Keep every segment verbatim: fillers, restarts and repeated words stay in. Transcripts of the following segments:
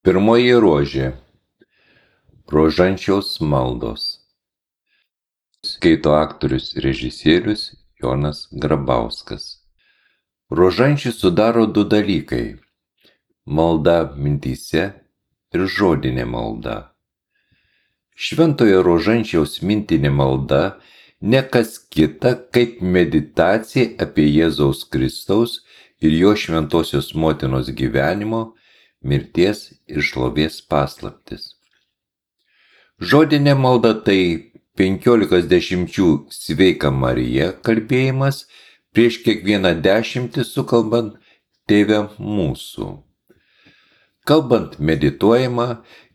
Pirmoji rožė. Rožančiaus maldos. Skaito aktorius režisierius Jonas Grabauskas. Rožančių sudaro du dalykai – malda mintyse ir žodinė malda. Šventojo Rožančiaus mintinė malda ne kas kita kaip meditacija apie Jėzaus Kristaus ir jo šventosios motinos gyvenimo, mirties ir šlovės paslaptis. Žodinė malda tai penkiolikos dešimčių Sveika Marija kalbėjimas prieš kiekvieną dešimtį sukalbant Tėve mūsų. Kalbant medituojama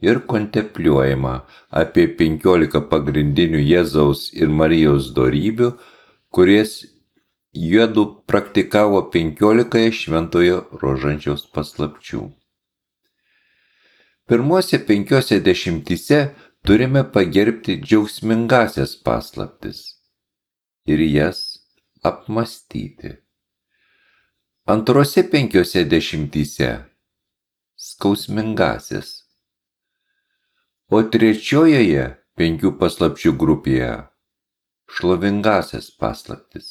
ir kontempliuojama apie penkiolika pagrindinių Jėzaus ir Marijos dorybių, kurias jiedu praktikavo penkiolikoje šventojo Rožančiaus paslapčių. Pirmose penkiose dešimtyse turime pagerbti džiaugsmingasias paslaptis ir jas apmąstyti. Antrose penkiose dešimtyse skausmingasias, o trečiojoje penkių paslapčių grupėje šlovingasias paslaptis.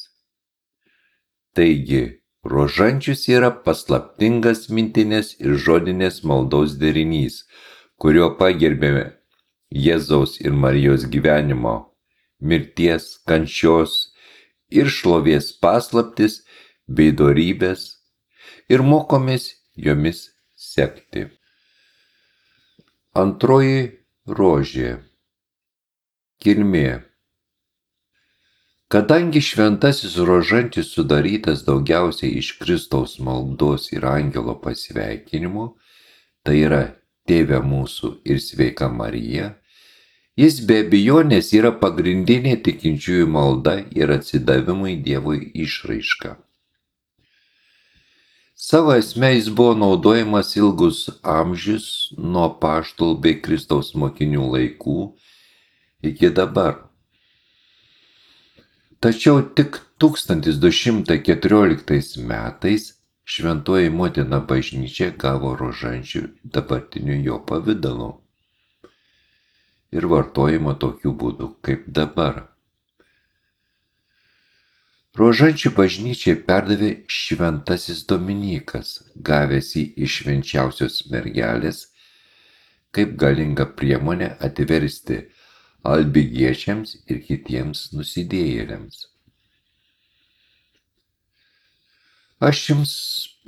Taigi, Rožančius yra paslaptingas mintinės ir žodinės maldos derinys, kurio pagerbėme Jėzaus ir Marijos gyvenimo, mirties, kančios ir šlovės paslaptis bei dorybės ir mokomės jomis sekti. Antroji rožė. Kilmė. Kadangi šventasis Rožančius sudarytas daugiausiai iš Kristaus maldos ir angelo pasveikinimų, tai yra Tėve mūsų ir Sveika Marija, jis be abejonės yra pagrindinė tikinčiųjų malda ir atsidavimui Dievui išraiška. Savo esme jis buvo naudojamas ilgus amžius nuo apaštalų bei Kristaus mokinių laikų iki dabar. Tačiau tik tūkstantis du šimtai keturioliktais metais Šventoji motina bažnyčia gavo rožančių dabartiniu jo pavidalu ir vartojimo tokiu būdu kaip dabar. Rožančių bažnyčiai perdavė šventasis Dominykas, gavęs jį iš švenčiausios mergelės, kaip galingą priemonę atversti albigiečiams ir kitiems nusidėjėliams. Aš jums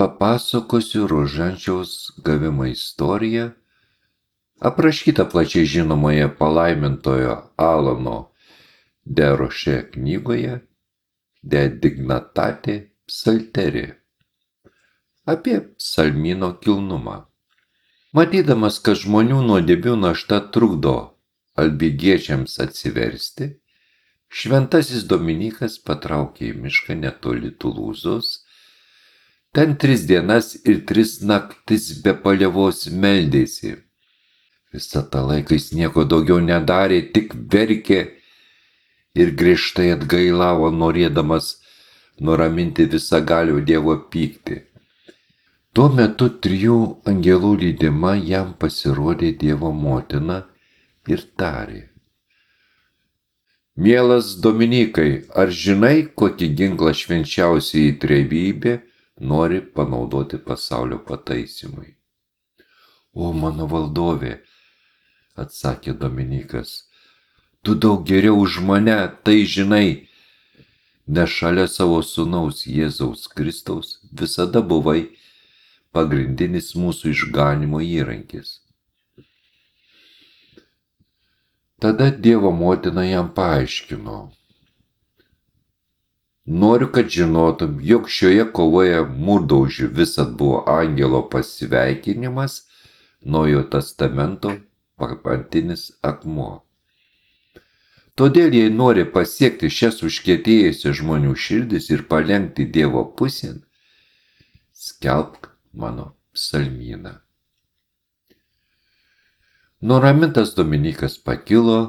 papasakosiu Rožančiaus gavimo istoriją, aprašytą plačiai žinomoje palaimintojo Alano de Roche knygoje De Dignitate Psalteri apie psalmyno kilnumą. Matydamas, kad žmonių nuodėmių našta trukdo albigiečiams atsiversti, šventasis Dominykas patraukė į mišką netoli Tulūzos. Ten tris dienas ir tris naktis be paliovos meldėsi. Visą tą laiką jis nieko daugiau nedarė, tik verkė ir griežtai atgailavo, norėdamas nuraminti visagalio Dievo pyktį. Tuo metu trijų angelų lydima jam pasirodė Dievo motina ir tarė: Mielas Dominikai, ar žinai, kokį ginklą švenčiausioji trejybė nori panaudoti pasaulio pataisymui? O mano valdovė, atsakė Dominikas, tu daug geriau už mane tai žinai, nes šalia savo sūnaus Jėzaus Kristaus visada buvai pagrindinis mūsų išganymo įrankis. Tada Dievo motina jam paaiškino: Noriu, kad žinotum, jog šioje kovoje mūrdaužiu visad buvo angelo pasveikinimas, Naujojo testamento pamatinis akmuo. Todėl, jei nori pasiekti šias užkietėjusias žmonių širdis ir palenkti Dievo pusėn, skelbk mano psalmyną. Nuramintas Dominykas pakilo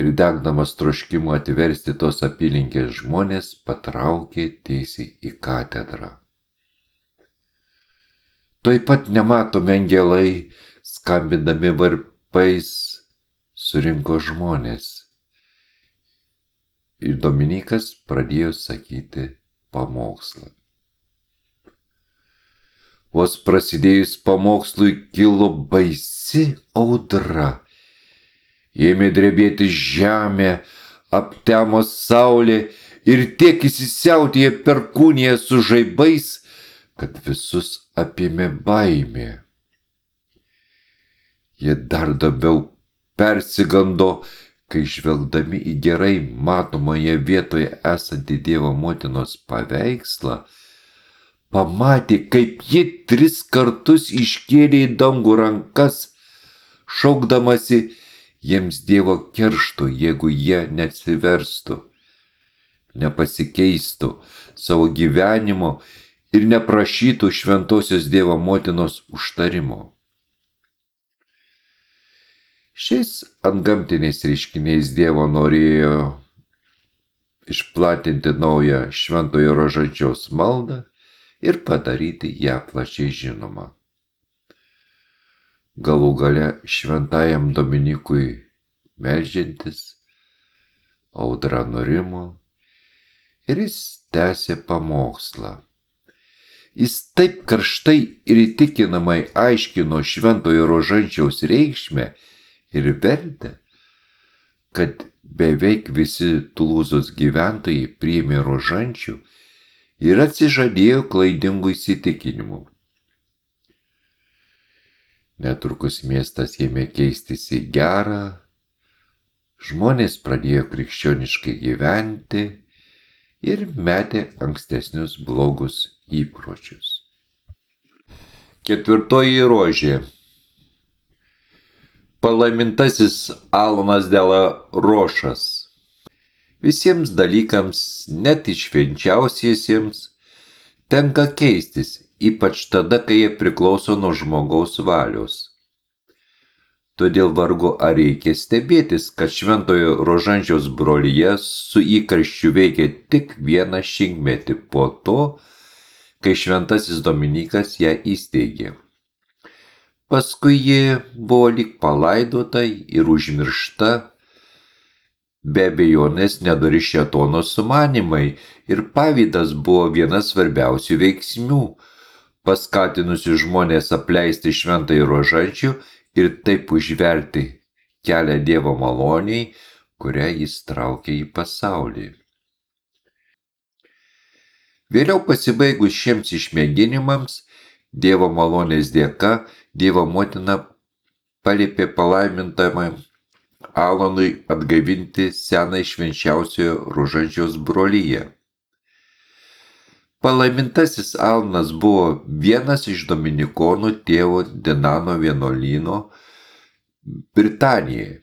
ir degdamas troškimu atversti tos apylinkės žmonės patraukė tiesiai į katedrą. Tuoj pat nematomi angelai skambindami varpais surinko žmonės. Ir Dominykas pradėjo sakyti pamokslą. Vos prasidėjus pamokslui kilo baisi audra. Ėmė drebėti žemė, aptemo saulė ir tiek įsisiautėjo perkūnija su žaibais, kad visus apėmė baimė. Jie dar labiau persigando, kai žvelgdami į gerai matomoje vietoje esantį Dievo motinos paveikslą, pamatė, kaip ji tris kartus iškėlė į dangų rankas, šaukdamasi jiems Dievo keršto, jeigu jie neatsiverstų, nepasikeistų savo gyvenimo ir neprašytų šventosios Dievo motinos užtarimo. Šiais antgamtiniais reiškiniais Dievo norėjo išplatinti naują šventojo rožančiaus maldą ir padaryti ją plačiai žinomą. Galų gale šventajam Dominykui meldžiantis, audra nurimo ir jis tęsė pamokslą. Jis taip karštai ir įtikinamai aiškino šventojo rožančiaus reikšmę ir vertę, kad beveik visi Tulūzos gyventojai priėmė rožančių ir atsižadėjo klaidingų įsitikinimų. Netrukus miestas ėmė keistis į gerą, žmonės pradėjo krikščioniškai gyventi ir metė ankstesnius blogus įpročius. Ketvirtoji rožė. Palaimintasis Alanas de la Rošas. Visiems dalykams, net švenčiausiesiems, tenka keistis, ypač tada, kai jie priklauso nuo žmogaus valios. Todėl vargu ar reikia stebėtis, kad šventojo rožančiaus brolija su įkarščiu veikia tik vieną šimtmetį po to, kai šventasis Dominykas ją įsteigė. Paskui ji buvo lyg palaidota ir užmiršta, be abejonės nedori šėtono sumanimai ir pavydas buvo vienas svarbiausių veiksnių, paskatinusių žmonės apleisti šventąjį rožančių ir taip užverti kelią Dievo maloniai, kurią jis traukė į pasaulį. Vėliau pasibaigus šiems išmėginimams, Dievo malonės dėka, Dievo motina paliepė palaimintamam Alanui atgaivinti senai švenčiausiojo rožančiaus broliją. Palaimintasis Alanas buvo vienas iš dominikonų tėvo Dinano vienuolyno Britanijoje.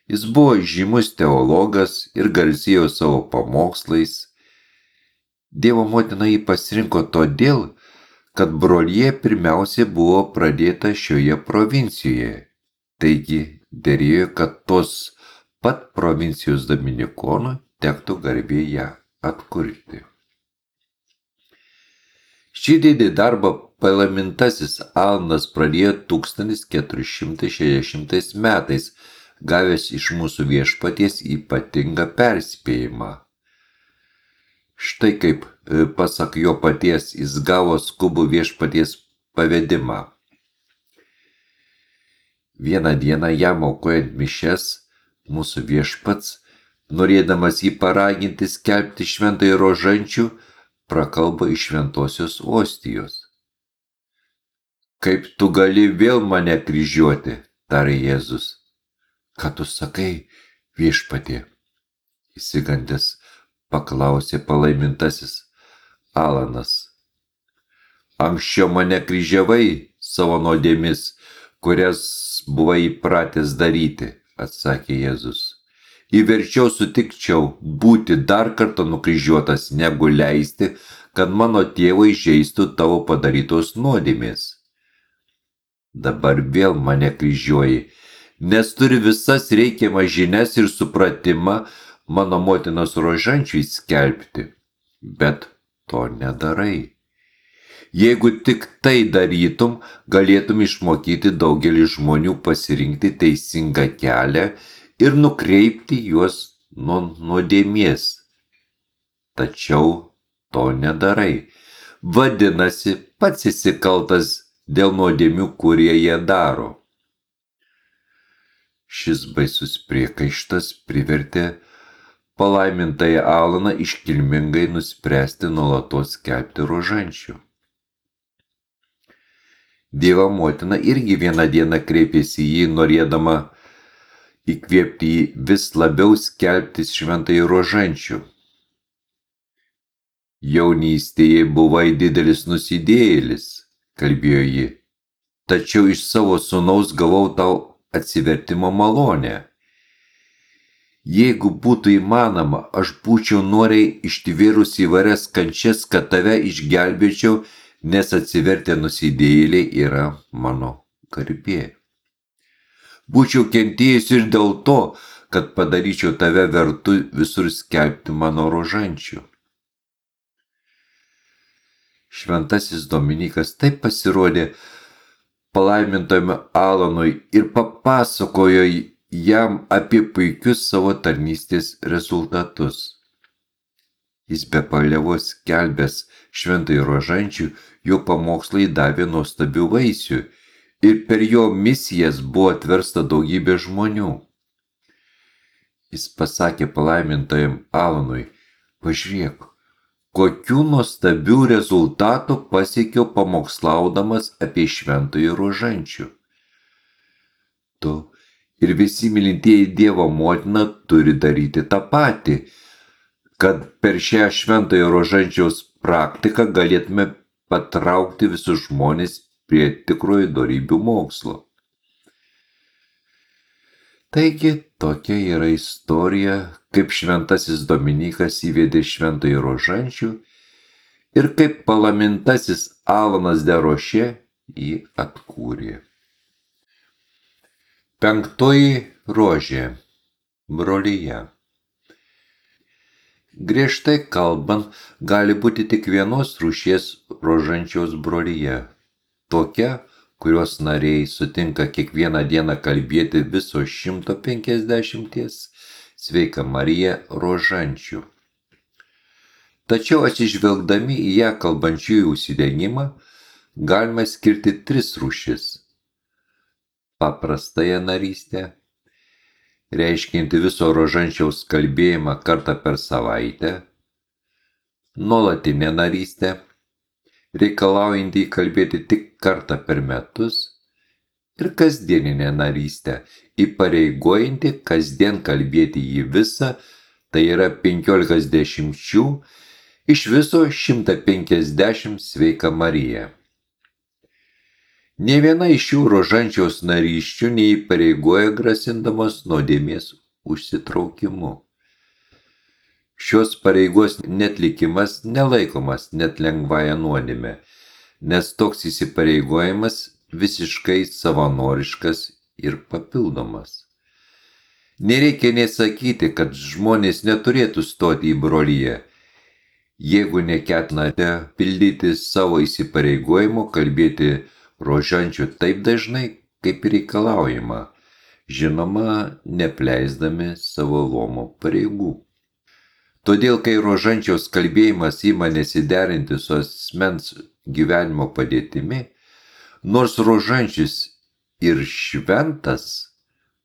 Jis buvo žymus teologas ir garsėjo savo pamokslais. Dievo motina jį pasirinko todėl, kad brolija pirmiausia buvo pradėta šioje provincijoje. Taigi derėjo, kad tos pat provincijos dominikonų tektų garbė ją atkurti. Šį didį darbą palaimintasis Alanas pradėjo tūkstantis keturi šimtai šešiasdešimtais metais, gavęs iš mūsų viešpaties ypatingą perspėjimą. Štai kaip, pasak jo paties, jis gavo skubų viešpaties pavedimą. Vieną dieną jam aukojant mišias, mūsų viešpats, norėdamas jį paraginti skelbti šventąjį rožančių, prakalbo iš šventosios ostijos. Kaip tu gali vėl mane kryžiuoti, tarė Jėzus. Ką tu sakai, viešpatie? Įsigandęs paklausė palaimintasis Alanas. Anksčiau mane kryžiavai savo nuodėmis, kurias buvai įpratęs daryti, atsakė Jėzus. Įverčiau sutikčiau būti dar kartą nukryžiuotas, negu leisti, kad mano tėvai žeistų tavo padarytos nuodėmės. Dabar vėl mane kryžiuoji, nes turi visas reikiamas žinias ir supratimą mano motinos rožančiui skelbti, bet to nedarai. Jeigu tik tai darytum, galėtum išmokyti daugelį žmonių pasirinkti teisingą kelią ir nukreipti juos nuo nuodėmės. Tačiau to nedarai. Vadinasi, pats esi kaltas dėl nuodėmių, kurie jie daro. Šis baisus priekaištas privertė palaimintąjį Alaną iškilmingai nuspręsti nuolatos skelbti rožančių. Dievo motina irgi vieną dieną kreipėsi į jį, norėdama įkvėpti jį vis labiau skelbti šventąjį rožančių. Jaunystėje buvai didelis nusidėjėlis, kalbėjo ji, tačiau iš savo sūnaus gavau tau atsivertimo malonę. Jeigu būtų įmanoma, aš būčiau noriai ištvėrus įvairias kančias, kad tave išgelbėčiau, nes atsivertę nusidėjėliai yra mano garbė. Būčiau kentėjus ir dėl to, kad padaryčiau tave vertu visur skelbti mano rožančių. Šventasis Dominikas taip pasirodė palaimintajam Alanui ir papasakojo jam apie puikius savo tarnystės rezultatus. Jis be palievos skelbęs šventąjį rožančių, jo pamokslai davė nuostabių vaisių ir per jo misijas buvo atversta daugybė žmonių. Jis pasakė palaimintajam Alanui, pažiūrėk, kokių nuostabių rezultatų pasiekiau pamokslaudamas apie šventąjį rožančių. Tu ir visi mylintieji Dievo motina turi daryti tą patį, kad per šią šventojo rožančiaus praktiką galėtume patraukti visus žmonės prie tikrojo dorybių mokslo. Taigi, tokia yra istorija, kaip šventasis Dominikas įvedė šventojo rožančių ir kaip palaimintasis Alanas de Rošė jį atkūrė. Penktoji rožė – brolija. Griežtai kalbant, gali būti tik vienos rūšies rožančiaus brolija. Tokia, kurios nariai sutinka kiekvieną dieną kalbėti viso šimto penkiasdešimties Sveika Marija rožančių. Tačiau atsižvelgdami į ją kalbančiųjų užsidegimą, galima skirti tris rūšis. Paprastąją narystę, reiškianti viso rožančiaus kalbėjimą kartą per savaitę, nuolatinę narystę, reikalaujantį kalbėti tik kartą per metus, ir kasdieninę narystę, įpareigojantį kasdien kalbėti jį visą, tai yra penkiolikas dešimčių, iš viso šimtą penkiasdešimt Sveika Marija. Nė viena iš šių rožančiaus narysčių neįpareigoja grasindamos nuodėmės užsitraukimu. Šios pareigos netlikimas nelaikomas net lengvąją nuodėmę, nes toks įsipareigojimas visiškai savanoriškas ir papildomas. Nereikia nesakyti, kad žmonės neturėtų stoti į broliją, jeigu neketinate pildyti savo įsipareigojimo kalbėti rožančių taip dažnai, kaip reikalaujama, žinoma, nepleisdami savo luomo pareigų. Todėl, kai rožančiaus kalbėjimas ima nesiderinti su asmens gyvenimo padėtimi, nors rožančius ir šventas,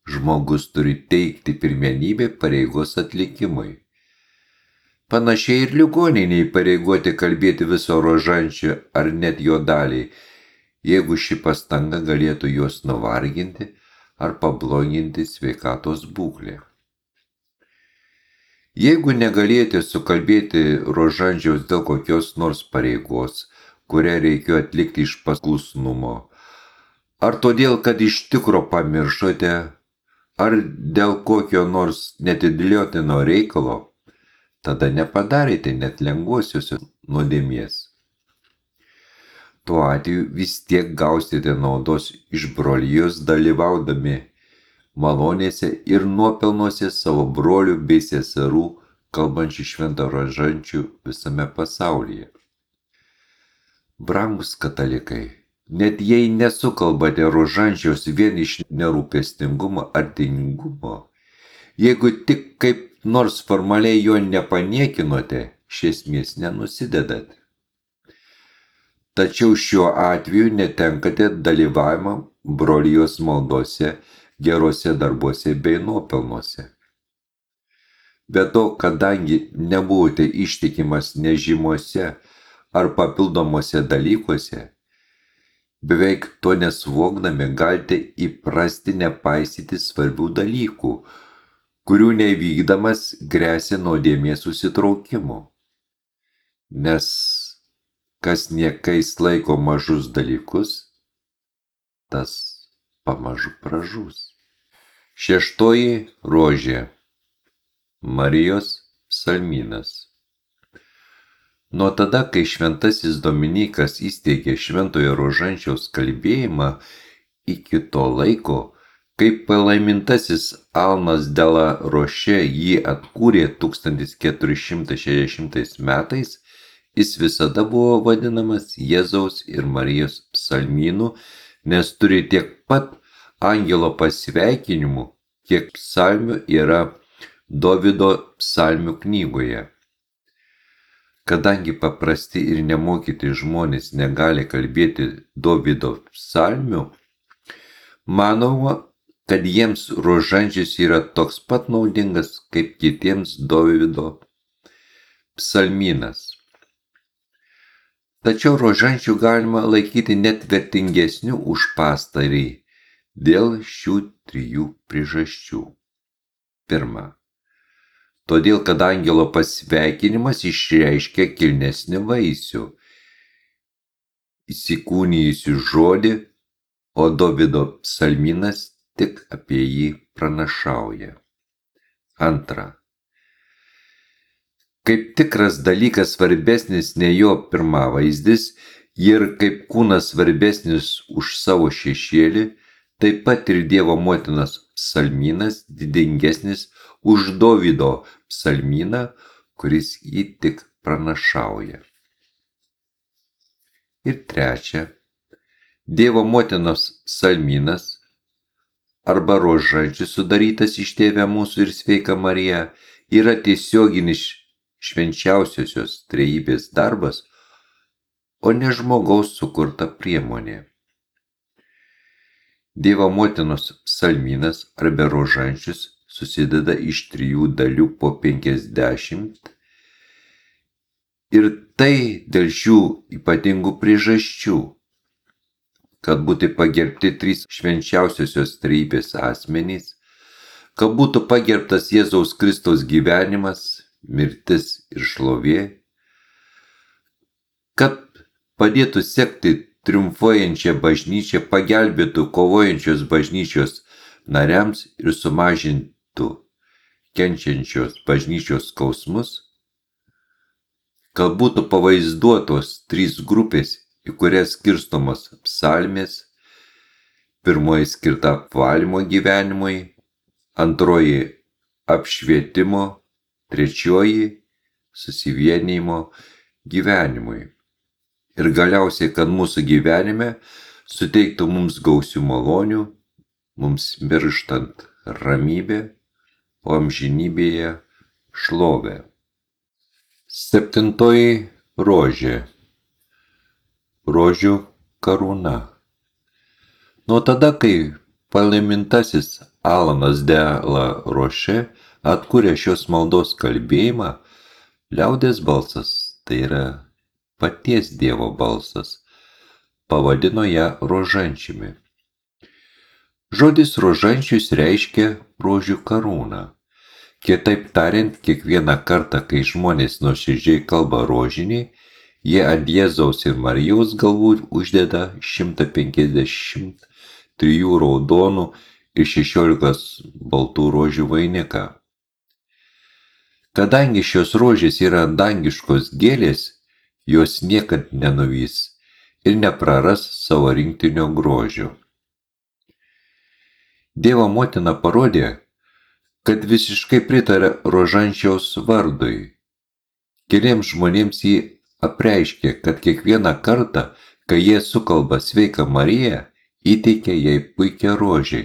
žmogus turi teikti pirmenybę pareigos atlikimui. Panašiai ir ligoniai neįpareigoti kalbėti viso rožančio ar net jo daliai, jeigu ši pastanga galėtų juos nuvarginti ar pabloginti sveikatos būklę. Jeigu negalėjote sukalbėti rožančiaus dėl kokios nors pareigos, kurią reikėjo atlikti iš paklusnumo, ar todėl, kad iš tikro pamiršote, ar dėl kokio nors netidėliotino reikalo, tada nepadarėte net lengvosios nuodėmės. Tuo atveju vis tiek gausite naudos iš brolijos dalyvaudami malonėse ir nuopelnuose savo brolių bei seserų kalbančių šventą rožančių visame pasaulyje. Brangus katalikai, net jei nesukalbate rožančiaus vien iš nerūpestingumo ar tingumo, jeigu tik kaip nors formaliai jo nepaniekinote, iš esmės nenusidedat. Tačiau šiuo atveju netenkate dalyvavimo brolijos maldose, gerose darbuose bei nuopelnuose. Be to, kadangi nebuvote ištikimas nežymuose ar papildomuose dalykuose, beveik to nesuvokdami galite įprasti nepaisyti svarbių dalykų, kurių nevykdamas gresia nuodėmės susitraukimu. Nes kas niekais laiko mažus dalykus, tas pamažu pražus. Šeštoji rožė. Marijos psalmynas. Nuo tada, kai šventasis Dominikas įsteigė šventojo rožančiaus kalbėjimą, iki to laiko, kai palaimintasis Alanas de la Roche jį atkūrė tūkstantis keturi šimtai šešiasdešimtais metais, jis visada buvo vadinamas Jėzaus ir Marijos psalmynu, nes turi tiek pat angelo pasveikinimų, kiek psalmių yra Dovydo psalmių knygoje. Kadangi paprasti ir nemokyti žmonės negali kalbėti Dovydo psalmių, manoma, kad jiems rožančius yra toks pat naudingas kaip kitiems Dovydo psalmynas. Tačiau rožančių galima laikyti net vertingesnių už pastarį dėl šių trijų priežasčių. Pirma, todėl, kad angelo pasveikinimas išreiškia kilnesnį vaisių, įsikūnijusių žodį, o Dovydo psalmynas tik apie jį pranašauja. Antra, kaip tikras dalykas svarbesnis ne jo pirmavaizdis ir kaip kūnas svarbesnis už savo šešėlį, taip pat ir Dievo motinos psalmynas didingesnis už Dovydo psalmyną, kuris jį tik pranašauja. Ir trečia, Dievo motinos psalmynas arba rožančius sudarytas iš Tėve mūsų ir Sveika Marija yra tiesioginis švenčiausiosios trejybės darbas, o ne žmogaus sukurta priemonė. Dievo motinos psalmynas arba rožančius susideda iš trijų dalių po penkiasdešimt ir tai dėl šių ypatingų priežasčių, kad būtų pagerbti trys švenčiausiosios trejybės asmenys, kad būtų pagerbtas Jėzaus Kristaus gyvenimas, mirtis ir šlovė, kad padėtų sekti triumfuojančią bažnyčią, pagelbėtų kovojančios bažnyčios nariams ir sumažintų kenčiančios bažnyčios skausmus, kad būtų pavaizduotos trys grupės, į kurias skirstomos psalmės, pirmoji skirta apvalymo gyvenimui, antroji apšvietimo, trečioji susivienijimo gyvenimui. Ir galiausiai, kad mūsų gyvenime suteiktų mums gausių malonių, mums mirštant ramybę, o amžinybėje šlovę. Septintoji rožė. Rožių karūna. Nuo tada, kai palaimintasis Alanas de la Roche atkūrė šios maldos kalbėjimą, liaudės balsas, tai yra paties Dievo balsas, pavadino ją rožančiumi. Žodis rožančius reiškia rožių karūną. Kitaip tariant, kiekvieną kartą, kai žmonės nuoširdžiai kalba rožinį, jie ant Jėzaus ir Marijos galvų uždeda šimtą penkiasdešimt trijų raudonų ir šešiolikos baltų rožių vainiką. Kadangi šios rožės yra dangiškos gėlės, jos niekad nenuvys ir nepraras savo rinktinio grožio. Dievo motina parodė, kad visiškai pritarė rožančiaus vardui. Keliems žmonėms jį apreiškė, kad kiekvieną kartą, kai jie sukalba Sveiką Mariją, įteikia jai puikią rožę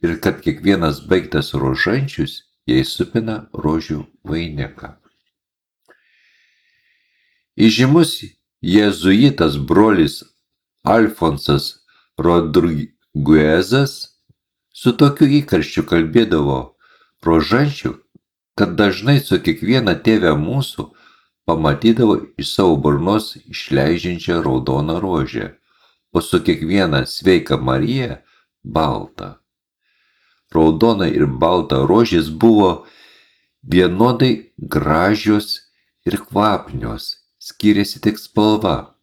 ir kad kiekvienas baigtas rožančius jai supina rožių vainiką. Įžymus jėzuitas brolis Alfonsas Rodriguezas su tokiu įkarščiu kalbėdavo rožančių, kad dažnai su kiekviena tėve mūsų pamatydavo iš savo burnos išleidžiančią raudoną rožę, o su kiekviena Sveika Marija baltą. Raudona ir balta rožės buvo vienodai gražios ir kvapnios, skiriasi tik spalva.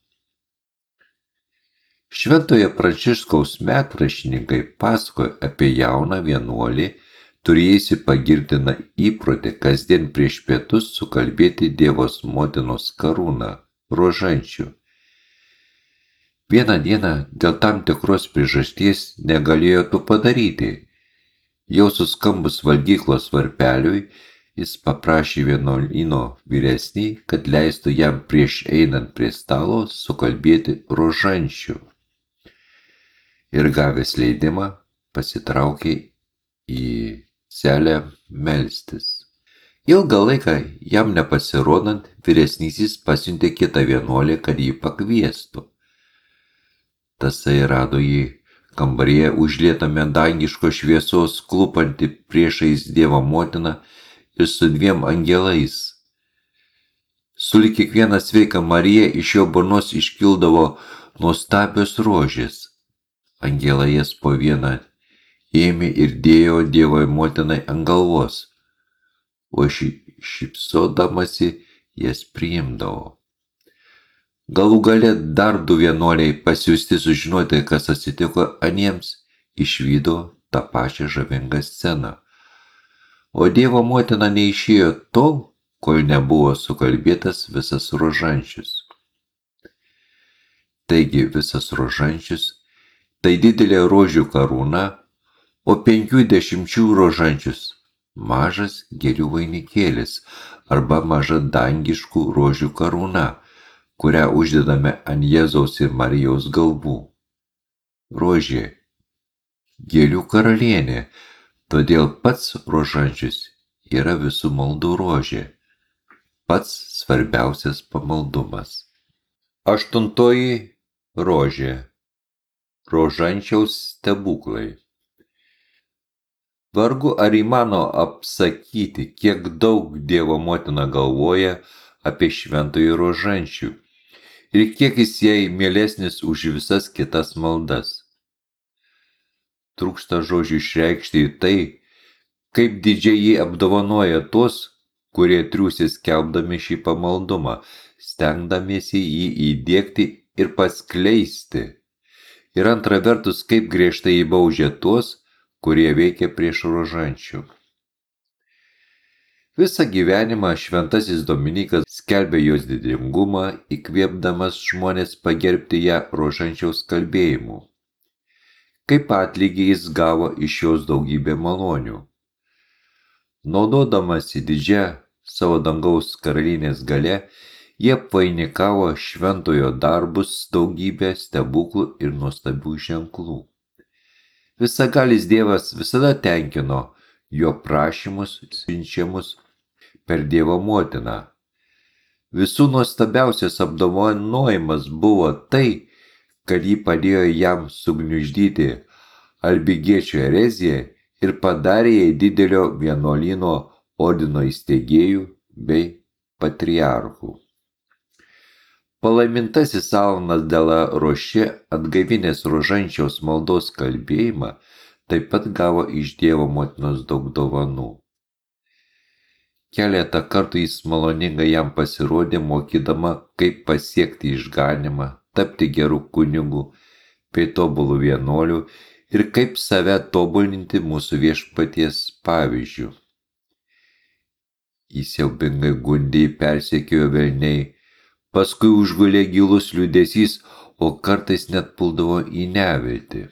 Šventojo Pranciškaus metraštininkai pasakoja apie jauną vienuolį, turėjusi pagirtiną įprotį kasdien prieš pietus sukalbėti Dievos motinos karūną rožančių. Vieną dieną dėl tam tikros priežasties negalėjo to padaryti. Jau suskambus valgyklos varpeliui, jis paprašė vienuolyno vyresnį, kad leistų jam prieš einant prie stalo sukalbėti rožančių. Ir gavęs leidimą pasitraukė į celę melstis. Ilgą laiką jam nepasirodant, vyresnysis pasiuntė kitą vienuolį, kad jį pakviestų. Tasai rado jį kambaryje užlietame dangiškos šviesos klūpantį priešais Dievo motiną ir su dviem angelais. Sulig kiekvieną Sveiką Mariją iš jo burnos iškildavo nuostabios rožės. Angelai jas po vieną ėmė ir dėjo Dievo motinai ant galvos, o ši šypsodamasi jas priimdavo. Galų gale dar du vienuoliai pasiųsti sužinoti, kas atsitiko aniems, išvydo tą pačią žavingą sceną. O Dievo motina neišėjo tol, kol nebuvo sukalbėtas visas rožančius. Taigi visas rožančius tai didelė rožių karūna, o penkių dešimčių rožančius mažas gėlių vainikėlis arba maža dangiškų rožių karūna, kurią uždedame ant Jėzaus ir Marijos galvų. Rožė – gėlių karalienė, todėl pats rožančius yra visų maldų rožė, pats svarbiausias pamaldumas. Aštuntoji rožė – rožančiaus stebuklai. Vargu ar įmano apsakyti, kiek daug Dievo motina galvoja apie šventąjį rožančių ir kiek jis jai mielesnis už visas kitas maldas. Trūksta žodžių išreikšti tai, kaip didžiai jį apdovanoja tos, kurie triūsia skelbdami šį pamaldumą, stengdamiesi jį įdiegti ir paskleisti. Ir antra vertus, kaip griežtai įbaudžia tuos, kurie veikia prieš rožančių. Visą gyvenimą šventasis Dominikas skelbė jos didingumą, įkvėpdamas žmonės pagerbti ją rožančiaus kalbėjimu. Kaip atlygį jis gavo iš jos daugybę malonių. Naudodamasi didžia savo dangaus karalienės galia, jie apvainikavo šventojo darbus daugybę stebuklų ir nuostabių ženklų. Visagalis Dievas visada tenkino jo prašymus siunčiamus per Dievo motiną. Visų nuostabiausias apdovanojimas buvo tai, kad ji padėjo jam sugniuždyti albigiečio ereziją ir padarė jai didelio vienuolyno ordino įsteigėjų bei patriarchų. Palaimintasis Alanas de la Roche, atgaivinęs rožančiaus maldos kalbėjimą, taip pat gavo iš Dievo motinos daug dovanų. Keletą kartų jis maloningai jam pasirodė, mokydama, kaip pasiekti išganymą, tapti gerų kunigų, bei tobulų vienuolių ir kaip save tobulinti mūsų Viešpaties pavyzdžiu. Jis siaubingai gundė, persekiojo velniai, paskui užgulė gilus liūdesys, o kartais net puldavo į neviltį.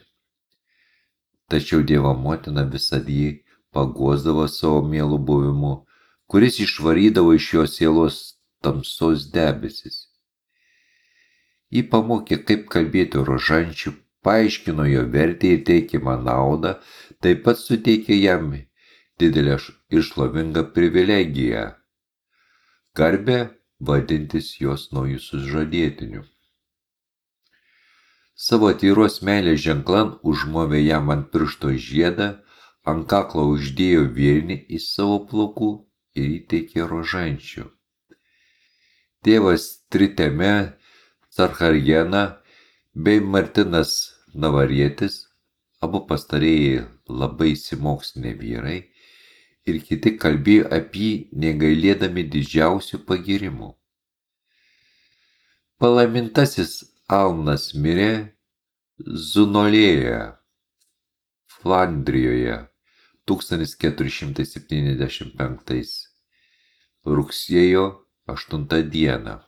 Tačiau Dievo motina visad jį paguosdavo savo mielų buvimu, kuris išvarydavo iš jo sielos tamsos debesis. Ji pamokė, kaip kalbėti rožančių, paaiškino jo vertę ir teikiamą naudą, taip pat suteikė jam didelę ir šlovingą privilegiją – garbę vadintis jos naujų sužadėtiniu. Savo tyros meilės ženklan užmovė jam ant piršto žiedą, ant kaklo uždėjo vėrinį į savo plaukų ir įteikė rožančių. Tėvas Triteme Carharjena bei Martinas Navarietis, abu pastarieji labai išsimokslinę vyrai, ir kiti kalbėjo apie jį negailėdami didžiausių pagyrimų. Palaimintasis Alnas mirė Zunolėje, Flandrijoje, tūkstantis keturi šimtai septyniasdešimt penktais rugsėjo aštuntą dieną.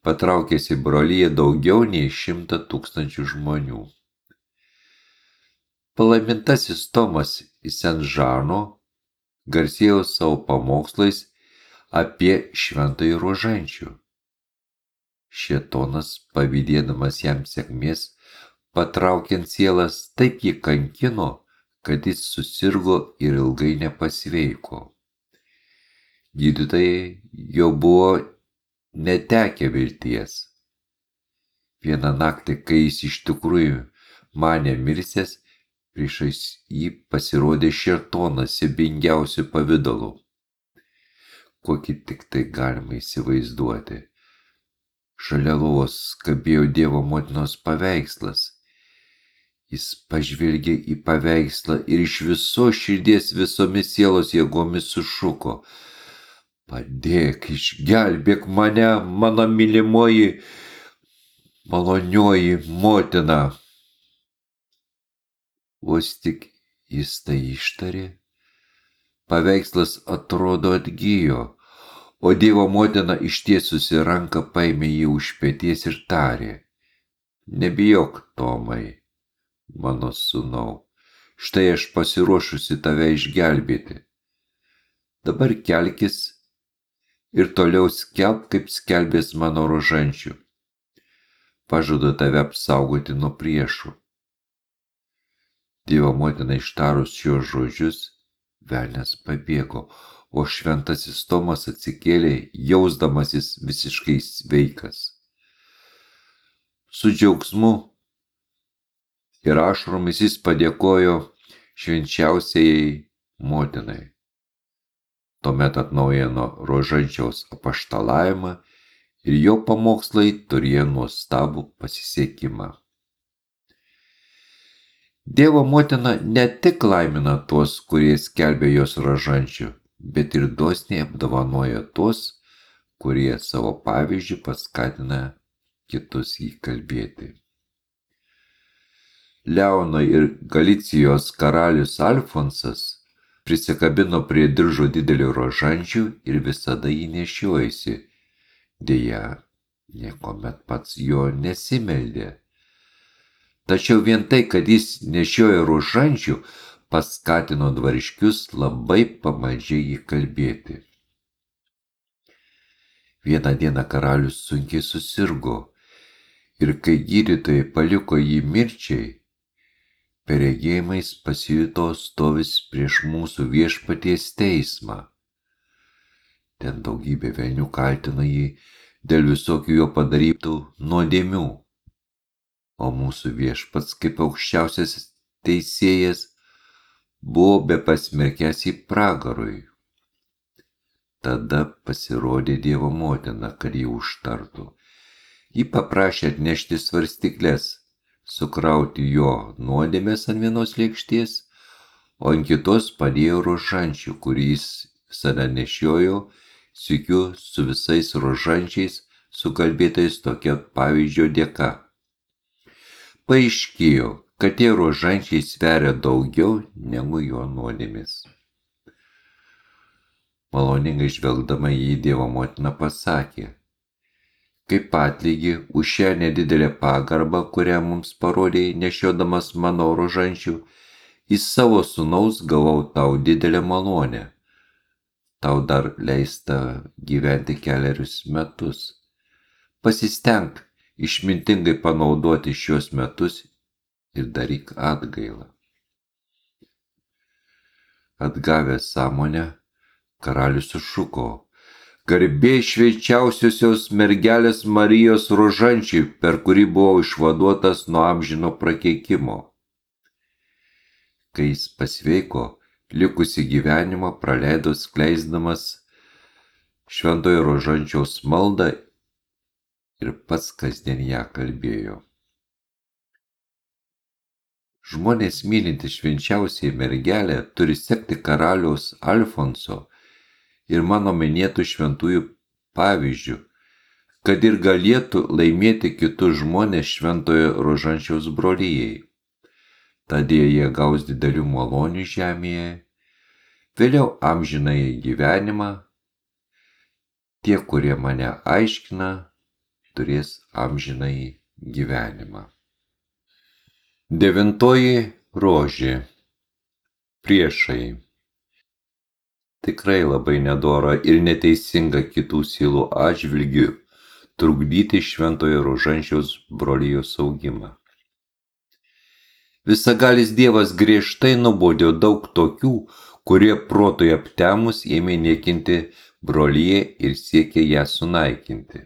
Patraukęs į broliją daugiau nei šimtą tūkstančių žmonių. Palaimintasis Tomas iš Sen-Žano garsėjo savo pamokslais apie šventąjį rožančių. Šėtonas, pavydėdamas jam sėkmės, patraukiant sielas, taip jį kankino, kad jis susirgo ir ilgai nepasveiko. Gydytojai jau buvo netekę vilties. Vieną naktį, kai jis iš tikrųjų manė mirsęs, priešais jį pasirodė Šėtonas siaubingiausiu pavidalu. Kokį tik tai galima įsivaizduoti. Šalia lovos kabėjo Dievo motinos paveikslas. Jis pažvelgė į paveikslą ir iš visos širdies visomis sielos jėgomis sušuko: padėk, išgelbėk mane, mano mylimoji, malonioji motina. Vos tik jis tai ištarė, paveikslas atrodo atgijo, o Dievo motina ištiesusi ranką paėmė jį už peties ir tarė: nebijok, Tomai, mano sūnau, štai aš pasiruošusi tave išgelbėti. Dabar kelkis ir toliau skelbk, kaip skelbės mano rožančių. Pažadu tave apsaugoti nuo priešų. Dievo motina ištarus šios žodžius, velnias pabėgo, o šventasis Tomas atsikėlė, jausdamasis visiškai sveikas. Su džiaugsmu ir ašaromis jis padėkojo švenčiausiai motinai. Tuomet atnaujino rožančiaus apaštalavimą ir jo pamokslai turėjo nuostabų pasisekimą. Dievo motina ne tik laimina tuos, kurie skelbia jos rožančių, bet ir dosniai apdovanoja tuos, kurie savo pavyzdžių paskatina kitus jį kalbėti. Leono ir Galicijos karalius Alfonsas prisikabino prie diržo didelį rožančių ir visada jį nešiojasi. Deja, niekuomet pats jo nesimeldė. Tačiau vien tai, kad jis nešiojo rožančių, paskatino dvariškius labai pamaldžiai jį kalbėti. Vieną dieną karalius sunkiai susirgo ir kai gydytojai paliko jį mirčiai, per regėjimais pasijuto stovis prieš mūsų viešpaties teismą. Ten daugybė velnių kaltino jį dėl visokių jo padarytų nuodėmių, o mūsų viešpats kaip aukščiausias teisėjas buvo bepasmerkęs į pragarui. Tada pasirodė Dievo motina, kad jį užtartų. Ji paprašė atnešti svarstyklės, sukrauti jo nuodėmės ant vienos lėkštės, o ant kitos padėjo rožančių, kurį jis visada nešiojo, sykiu su visais rožančiais sukalbėtais tokia pavyzdžio dėka. Paaiškėjo, kad tie rožančiai sveria daugiau negu jo nuodėmės. Maloningai žvelgdama jį Dievo motina pasakė: kaip atlygį už šią nedidelę pagarbą, kurią mums parodėjai nešiodamas mano rožančių, į savo sūnaus gavau tau didelę malonę. Tau dar leista gyventi kelerius metus. Pasistenk išmintingai panaudoti šios metus ir daryk atgailą. Atgavęs sąmonę, karalius sušuko: Garbė švenčiausiosios mergelės Marijos rožančiui, per kurį buvau išvaduotas nuo amžino prakeikimo. Kai jis pasveiko, likusį gyvenimą praleido skleisdamas šventojo rožančiaus maldą ir pats kasdien ją kalbėjo. Žmonės mylintys švenčiausiai mergelę turi sekti karaliaus Alfonso ir mano minėtų šventųjų pavyzdžių, kad ir galėtų laimėti kitus žmonės šventojo rožančiaus brolijai. Tadėl jie gaus didelių malonių žemėje, vėliau amžinąjį gyvenimą. Tie, kurie mane aiškina, turės amžinąjį gyvenimą. Devintoji rožė. Priešai. Tikrai labai nedora ir neteisinga kitų sielų atžvilgių trukdyti šventojo rožančiaus brolijos augimą. Visagalis Dievas griežtai nubaudė daug tokių, kurie protui aptemus ėmė niekinti broliją ir siekė ją sunaikinti.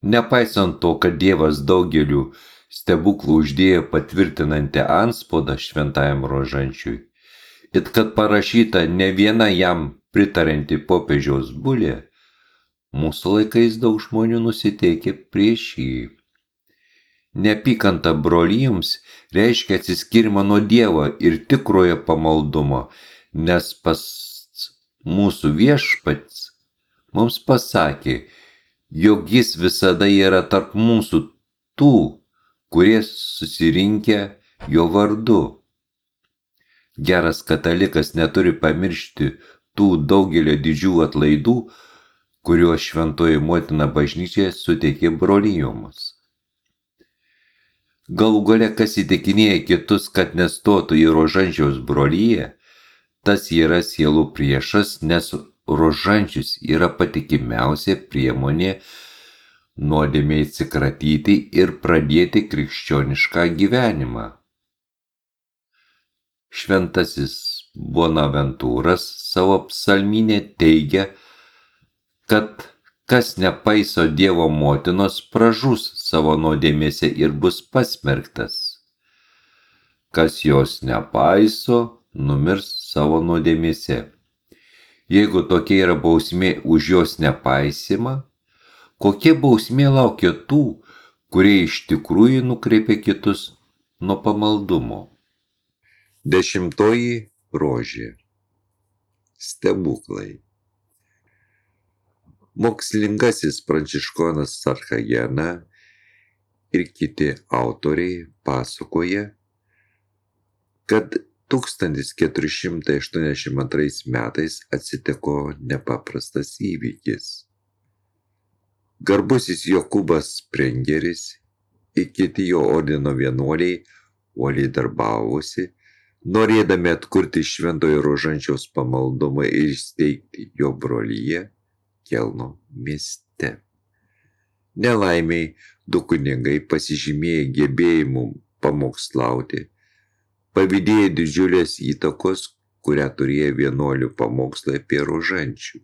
Nepaisant to, kad Dievas daugeliu stebuklų uždėjo patvirtinantį antspaudą šventajam rožančiui, ir kad parašyta ne viena jam pritaranti popiežiaus bulė, mūsų laikais daug žmonių nusiteikė prieš jį. Neapykanta brolijoms reiškia atsiskyrimą nuo Dievo ir tikrojo pamaldumo, nes pas mūsų viešpats mums pasakė, jog jis visada yra tarp mūsų tų, kurie susirinkę jo vardu. Geras katalikas neturi pamiršti tų daugelio didžių atlaidų, kuriuos šventoji motina bažnyčia suteikė brolijoms. Galų gale, kas įtikinėja kitus, kad nestotų į rožančiaus broliją, tas yra sielų priešas, nes rožančius yra patikimiausia priemonė nuodėmei atsikratyti ir pradėti krikščionišką gyvenimą. Šventasis Bonaventūras savo psalmynė teigia, kad kas nepaiso Dievo motinos, pražus savo nuodėmėse ir bus pasmerktas. Kas jos nepaiso, numirs savo nuodėmėse. Jeigu tokia yra bausmė už jos nepaisimą, kokia bausmė laukia tų, kurie iš tikrųjų nukreipia kitus nuo pamaldumo? Dešimtoji rožė. Stebuklai. Mokslingasis pranciškonas Sarchagena ir kiti autoriai pasakoja, kad tūkstantis keturi šimtai aštuoniasdešimt antrais metais atsitiko nepaprastas įvykis. Garbusis Jokūbas Sprengeris ir kiti jo ordino vienuoliai uoliai darbavosi, norėdami atkurti šventojo rožančiaus pamaldumą ir įsteigti jo broliją Kelno mieste. Nelaimiai du kunigai pasižymėję gebėjimu pamokslauti, pavydėjo didžiulės įtakos, kurią turėjo vienuolių pamokslai apie rožančių.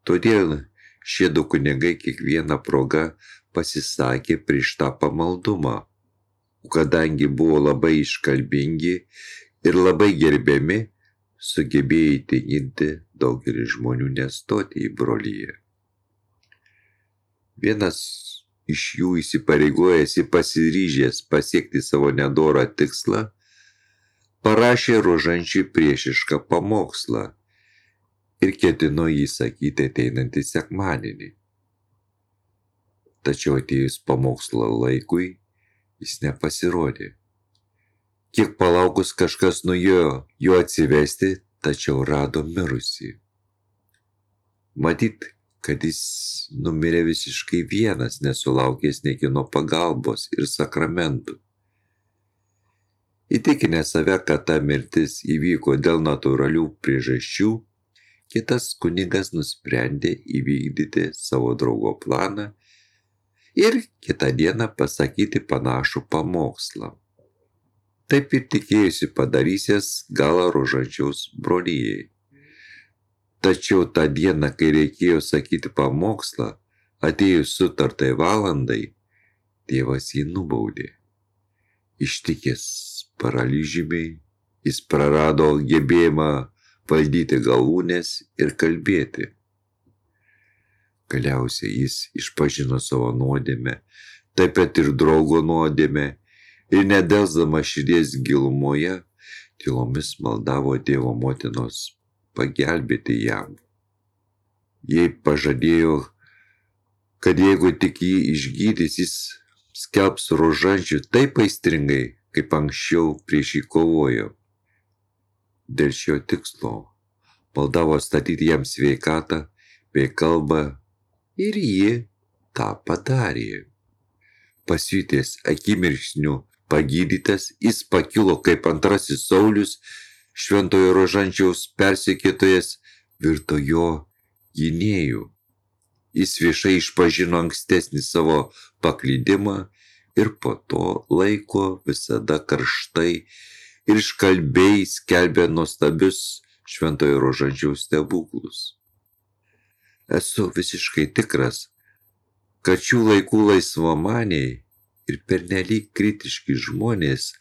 Todėl šie du kunigai kiekvieną progą pasisakė prieš tą pamaldumą, kadangi buvo labai iškalbingi ir labai gerbiami, sugebėjo įtikinti daugelį žmonių nestoti į broliją. Vienas iš jų įsipareigojęs ir pasiryžęs pasiekti savo nedorą tikslą, parašė rožančiui priešišką pamokslą ir ketino jį sakyti ateinantį sekmadienį. Tačiau atėjus pamokslo laikui, jis nepasirodė. Kiek palaukus kažkas nuėjo jo atsivesti, tačiau rado mirusį. Matyt, kad jis numirė visiškai vienas, nesulaukęs niekieno pagalbos ir sakramentų. Įtikinę save, kad ta mirtis įvyko dėl natūralių priežasčių, kitas kunigas nusprendė įvykdyti savo draugo planą ir kitą dieną pasakyti panašų pamokslą. Taip ir tikėjusi padarysies galą Rožančiaus brolijai. Tačiau tą dieną, kai reikėjo sakyti pamokslą, atėjus sutartai valandai, tėvas jį nubaudė. Ištikęs paralyžiumi, jis prarado gebėjimą valdyti galūnes ir kalbėti. Galiausiai jis išpažino savo nuodėmę, taip pat ir draugo nuodėmę, ir nedelsdamas širdies gilumoje, tylomis maldavo Dievo motinos pagelbėti jam. Jai pažadėjo, kad jeigu tik jį išgydys, jis skelbs Rožančių taip aistringai, kaip anksčiau prieš jį kovojo. Dėl šio tikslo maldavo statyti jam sveikatą bei kalbą ir ji tą padarė. Pasijutęs akimirksniu pagydytas, jis pakilo kaip antrasis Saulius, šventojo Rožančiaus persekiotojas, virto jo gynėju. Jis viešai išpažino ankstesnį savo paklydimą ir po to laiko visada karštai ir iškalbiai skelbė nuostabius šventojo Rožančiaus stebuklus. Esu visiškai tikras, kad šių laikų laisvamaniai ir pernelyg kritiški žmonės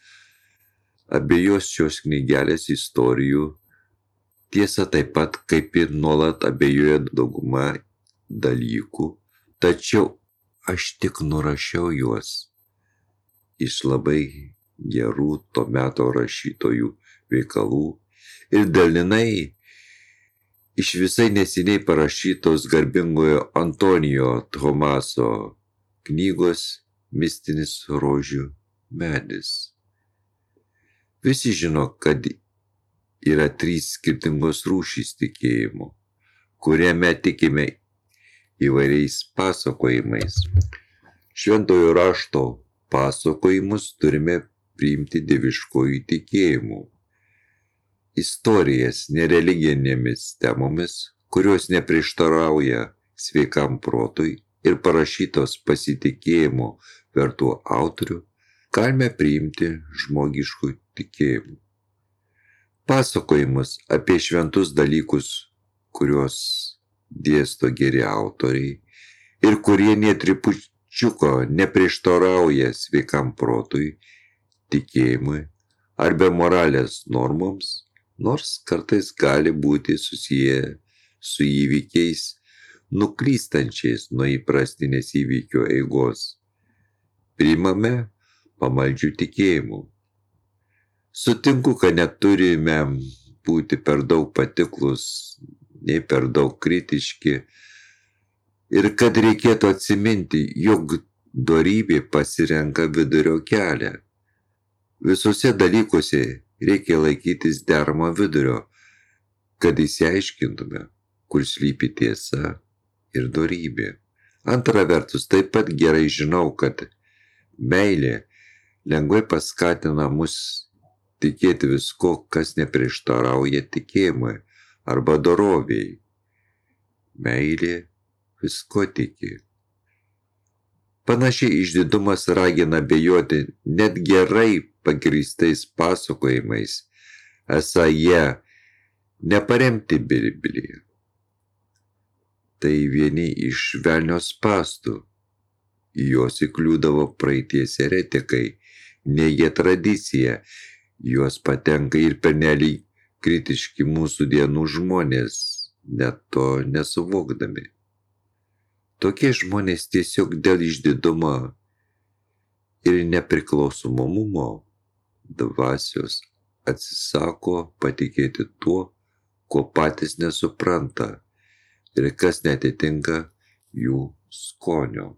abejos šios knygelės istorijų, tiesa taip pat kaip ir nuolat abejoja dauguma dalykų, tačiau aš tik nurašiau juos iš labai gerų to meto rašytojų veikalų ir dalinai iš visai neseniai parašytos garbingojo Antonijo Tomaso knygos Mistinis rožių medis. Visi žino, kad yra trys skirtingos rūšys tikėjimo, kuriame tikime įvairiais pasakojimais. Šventojo rašto pasakojimus turime priimti dieviškojų tikėjimu. Istorijas nereliginėmis temomis, kurios neprieštarauja sveikam protui ir parašytos pasitikėjimo vertų autorių, galime priimti žmogiškų tikėjimų. Pasakojimus apie šventus dalykus, kuriuos dėsto geri autoriai ir kurie netrupučiuko neprieštarauja sveikam protui, tikėjimui arba moralės normoms, nors kartais gali būti susiję su įvykiais nuklystančiais nuo įprastinės įvykio eigos. Priimame pamaldžių tikėjimų. Sutinku, kad neturime būti per daug patiklus, nei per daug kritiški ir kad reikėtų atsiminti, jog dorybė pasirenka vidurio kelią. Visose dalykuose reikia laikytis deramo vidurio, kad išsiaiškintume, kur slypi tiesa ir dorybė. Antra vertus, taip pat gerai žinau, kad meilė lengvai paskatina mus tikėti visko, kas neprieštarauja tikėjimui arba dorovėjai. Meilė visko tiki. Panašiai išdidumas ragina abejoti net gerai pagrįstais pasakojimais, esą jie neparemti Bibliją. Tai vieni iš velnio spąstų. Į juos įkliūdavo praeities eretikai, neigia tradiciją, juos patenka ir pernelyg kritiški mūsų dienų žmonės, net to nesuvokdami. Tokie žmonės tiesiog dėl išdidumo ir nepriklausomumo dvasios atsisako patikėti tuo, ko patys nesupranta ir kas netitinka jų skonio.